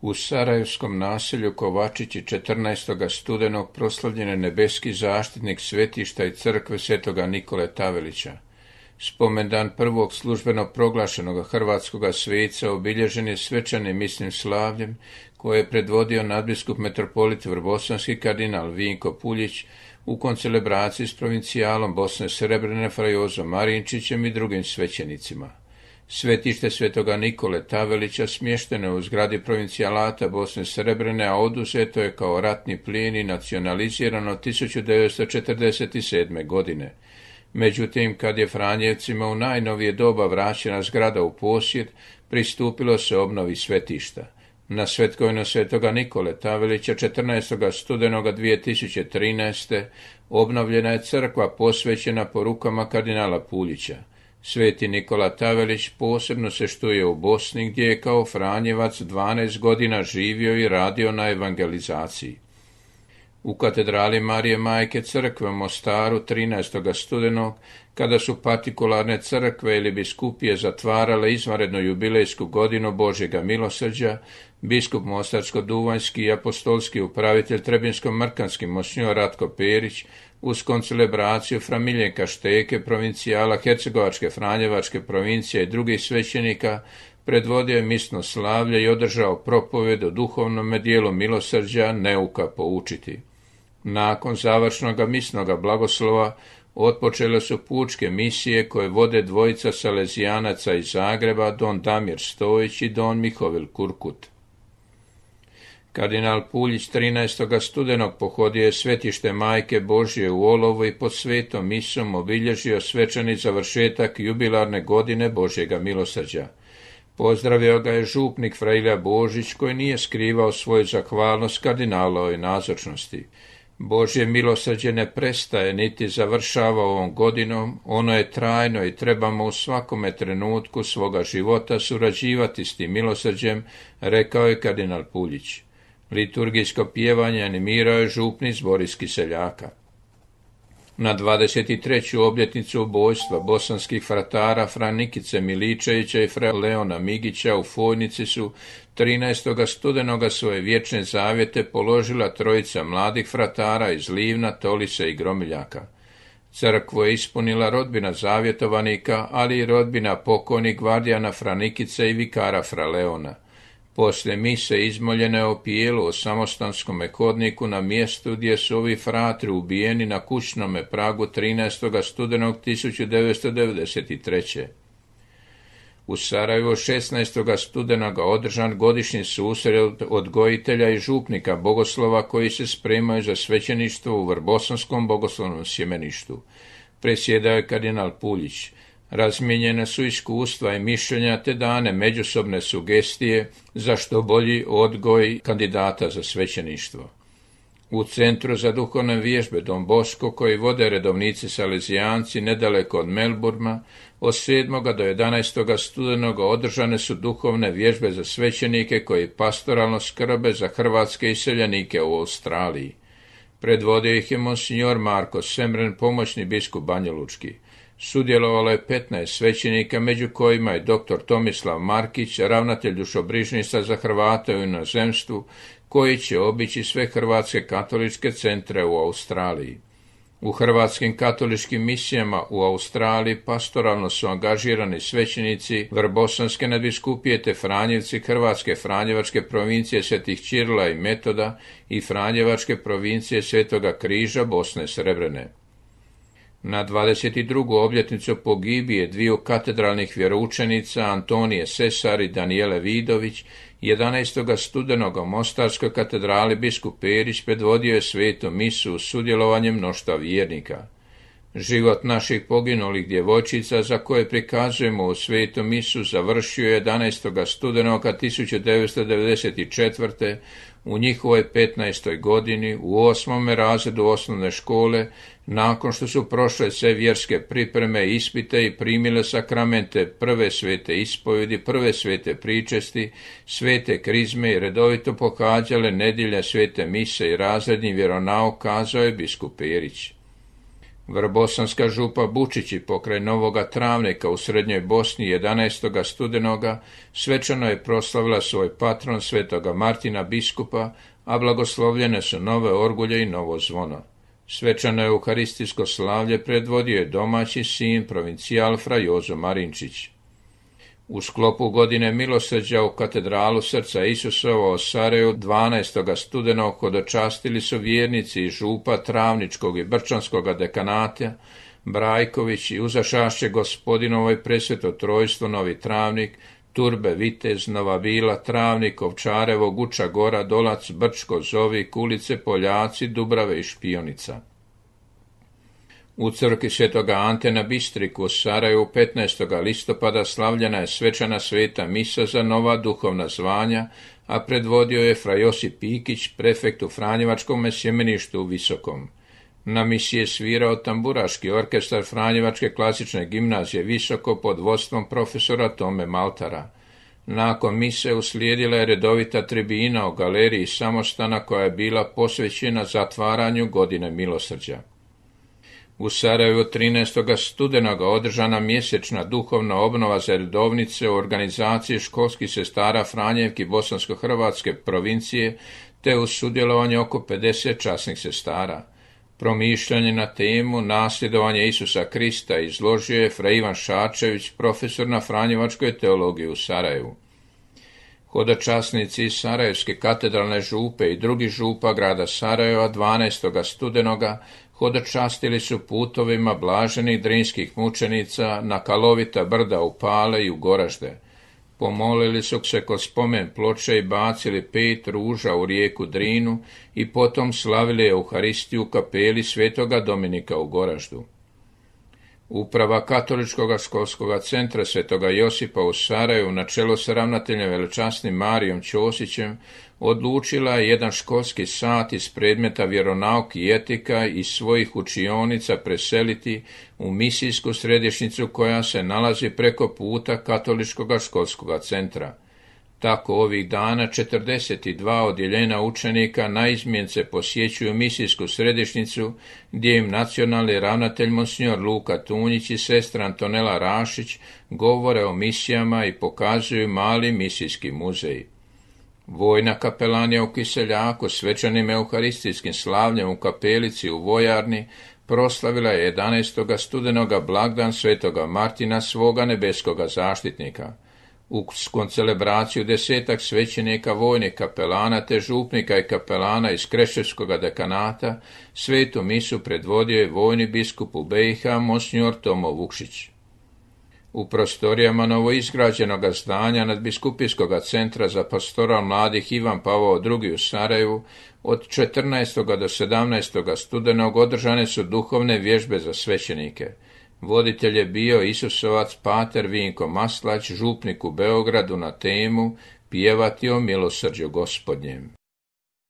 U sarajevskom naselju Kovačići 14. studenog proslavljen je nebeski zaštitnik svetišta i crkve svetoga Nikole Tavelića. Spomendan prvog službeno proglašenog hrvatskoga sveca obilježen je svečanim misnim slavljem koje je predvodio nadbiskup metropolit vrbosanski kardinal Vinko Puljić u koncelebraciji s provincijalom Bosne Srebrene fra Jozom Marinčićem i drugim svećenicima. Svetište svetoga Nikole Tavelića smješteno je u zgradi provincijalata Bosne Srebrene, a oduzeto je kao ratni plijen i nacionalizirano 1947. godine. Međutim, kad je Franjevcima u najnovije doba vraćena zgrada u posjed, pristupilo se obnovi svetišta. Na svetkovinu svetoga Nikole Tavelića 14. studenoga 2013. obnovljena je crkva posvećena porukama kardinala Puljića. Sveti Nikola Tavelić posebno se štuje u Bosni, gdje je kao Franjevac 12 godina živio i radio na evangelizaciji. U katedrali Marije Majke crkve u Mostaru 13. studenog, kada su partikularne crkve ili biskupije zatvarale izvanrednu jubilejsku godinu Božjega milosrđa, biskup mostarsko-duvanjski i apostolski upravitelj trebinsko-mrkanski monsignor Ratko Perić uz koncelebraciju fra Miljenka Šteke, provincijala Hercegovačke Franjevačke provincije i drugih svećenika, predvodio je misno slavlje i održao propovjed o duhovnom dijelu milosrđa neuka poučiti. Nakon završnog misnoga blagoslova otpočele su pučke misije koje vode dvojica salezijanaca iz Zagreba, don Damir Stojić i don Mihovil Kurkut. Kardinal Puljić 13. studenog pohodio je svetište Majke Božje u Olovu i pod svetom misom obilježio svečani završetak jubilarne godine Božjega milosrđa. Pozdravio ga je župnik fra Ilija Božić, koji nije skrivao svoju zahvalnost kardinalovoj nazočnosti. Božje milosrđe ne prestaje niti završava ovom godinom, ono je trajno i trebamo u svakome trenutku svoga života surađivati s tim milosrđem, rekao je kardinal Puljić. Liturgijsko pjevanje animirao je župnik Boris Kiseljaka. Na 23. obljetnicu ubojstva bosanskih fratara fra Nikice Miličevića i fra Leona Migića u Fojnici su 13. studenoga svoje vječne zavjete položila trojica mladih fratara iz Livna, Tolise i Gromiljaka. Crkvu je ispunila rodbina zavjetovanika, ali i rodbina pokojnih gvardijana fra Nikice i vikara fra Leona. Poslije mise izmoljene o pijelu o samostanskome hodniku na mjestu gdje su ovi fratri ubijeni na kućnome pragu 13. studenog 1993. U Sarajevu 16. studenoga održan godišnji susret odgojitelja i župnika bogoslova koji se spremaju za svećeništvo u Vrbosanskom bogoslovnom sjemeništu. Presjedao je kardinal Puljić. Razmijenjene su iskustva i mišljenja te dane međusobne sugestije za što bolji odgoj kandidata za svećeništvo. U Centru za duhovne vježbe Don Bosco, koji vode redovnici salezijanci nedaleko od Melbourna, od 7. do 11. studenoga održane su duhovne vježbe za svećenike koji pastoralno skrbe za hrvatske iseljenike u Australiji. Predvodio ih je monsignor Marko Semren, pomoćni biskup Banjalučki. Sudjelovalo je 15 svećenika, među kojima je dr. Tomislav Markić, ravnatelj dušobrižnica za Hrvate u inozemstvu, koji će obići sve hrvatske katoličke centre u Australiji. U hrvatskim katoličkim misijama u Australiji pastoralno su angažirani svećenici Vrbosanske nadbiskupije te Franjevci Hrvatske Franjevačke provincije Svetih Ćirila i Metoda i Franjevačke provincije Svetoga Križa Bosne Srebrene. Na 22. obljetnicu pogibije dviju katedralnih vjeroučenica Antonije Sesar i Danijele Vidović, 11. studenog u Mostarskoj katedrali biskup Perić predvodio je svetu misu uz sudjelovanje mnoštva vjernika. Život naših poginulih djevojčica, za koje prikazujemo u svetu misu, završio je 11. studenoga 1994. u njihovoj 15. godini u 8. razredu osnovne škole, nakon što su prošle sve vjerske pripreme, ispite i primile sakramente prve svete ispovjedi, prve svete pričesti, svete krizme i redovito pohađale nedjelje svete mise i razredni vjeronauk, kazao je biskup Perić. Vrbosanska župa Bučići pokraj Novoga Travnika u Srednjoj Bosni 11. studenoga svečano je proslavila svoj patron svetoga Martina biskupa, a blagoslovljene su nove orgulje i novo zvono. Svečano euharistijsko slavlje predvodio je domaći sin provincijal fra Jozo Marinčić. U sklopu godine milosrđa u katedralu Srca Isusova u Sarajevu 12. studenog hodočastili su vjernici iz župa Travničkog i Brčanskog dekanata Brajković i uzašašće Gospodinovoj presveto trojstvo Novi Travnik, Turbe, Vitez, Nova Bila, Travnik, Ovčarevo, Guča Gora, Dolac, Brčko, Zovi, Kulice, Poljaci, Dubrave i Špionica. U crkvi svetoga Ante na Bistriku u Sarajevu 15. listopada slavljena je svečana sveta misa za nova duhovna zvanja, a predvodio je fra Josip Pikić, prefekt u Franjevačkom sjemeništu u Visokom. Na misi je svirao tamburaški orkestar Franjevačke klasične gimnazije Visoko pod vodstvom profesora Tome Maltara. Nakon mise uslijedila je redovita tribina u galeriji Samostana koja je bila posvećena zatvaranju godine milosrđa. U Sarajevu 13. studenoga održana mjesečna duhovna obnova za redovnice u organizaciji školskih sestara Franjevki Bosansko-Hrvatske provincije, te uz sudjelovanje oko 50 časnih sestara. Promišljanje na temu nasljedovanje Isusa Krista izložio je fra Ivan Šačević, profesor na Franjevačkoj teologiji u Sarajevu. Hodočasnici iz Sarajevske katedralne župe i drugih župa grada Sarajeva 12. studenoga hodočastili su putovima blaženih drinskih mučenica na kalovita brda u Pale i u Goražde. Pomolili su se kod spomen ploče i bacili 5 ruža u rijeku Drinu i potom slavili Euharistiju u kapeli svetoga Dominika u Goraždu. Uprava Katoličkog školskog centra svetoga Josipa u Sarajevu na čelu sa ravnateljem velečasnim Marijom Ćosićem odlučila je jedan školski sat iz predmeta vjeronauk i etika iz svojih učionica preseliti u misijsku središnjicu koja se nalazi preko puta Katoličkog školskog centra. Tako ovih dana 42 odjeljenja učenika naizmjence posjećuju misijsku središnjicu gdje im nacionalni ravnatelj monsignor Luka Tunjić i sestra Antonela Rašić govore o misijama i pokazuju mali misijski muzej. Vojna kapelanija u Kiseljaku svečanim euharistijskim slavljem u kapelici u Vojarni proslavila je 11. studenoga blagdan svetoga Martina svoga nebeskoga zaštitnika. U koncelebraciju 10 svećenika vojnih kapelana te župnika i kapelana iz Kreševskog dekanata svetu misu predvodio je vojni biskup u BiH monsignor Tomo Vukšić. U prostorijama novoizgrađenog zdanja nadbiskupijskog centra za pastoral mladih Ivan Pavao II u Sarajevu od 14. do 17. studenog održane su duhovne vježbe za svećenike. Voditelj je bio Isusovac pater Vinko Maslać, župnik u Beogradu na temu Pjevati o milosrđu Gospodnjem.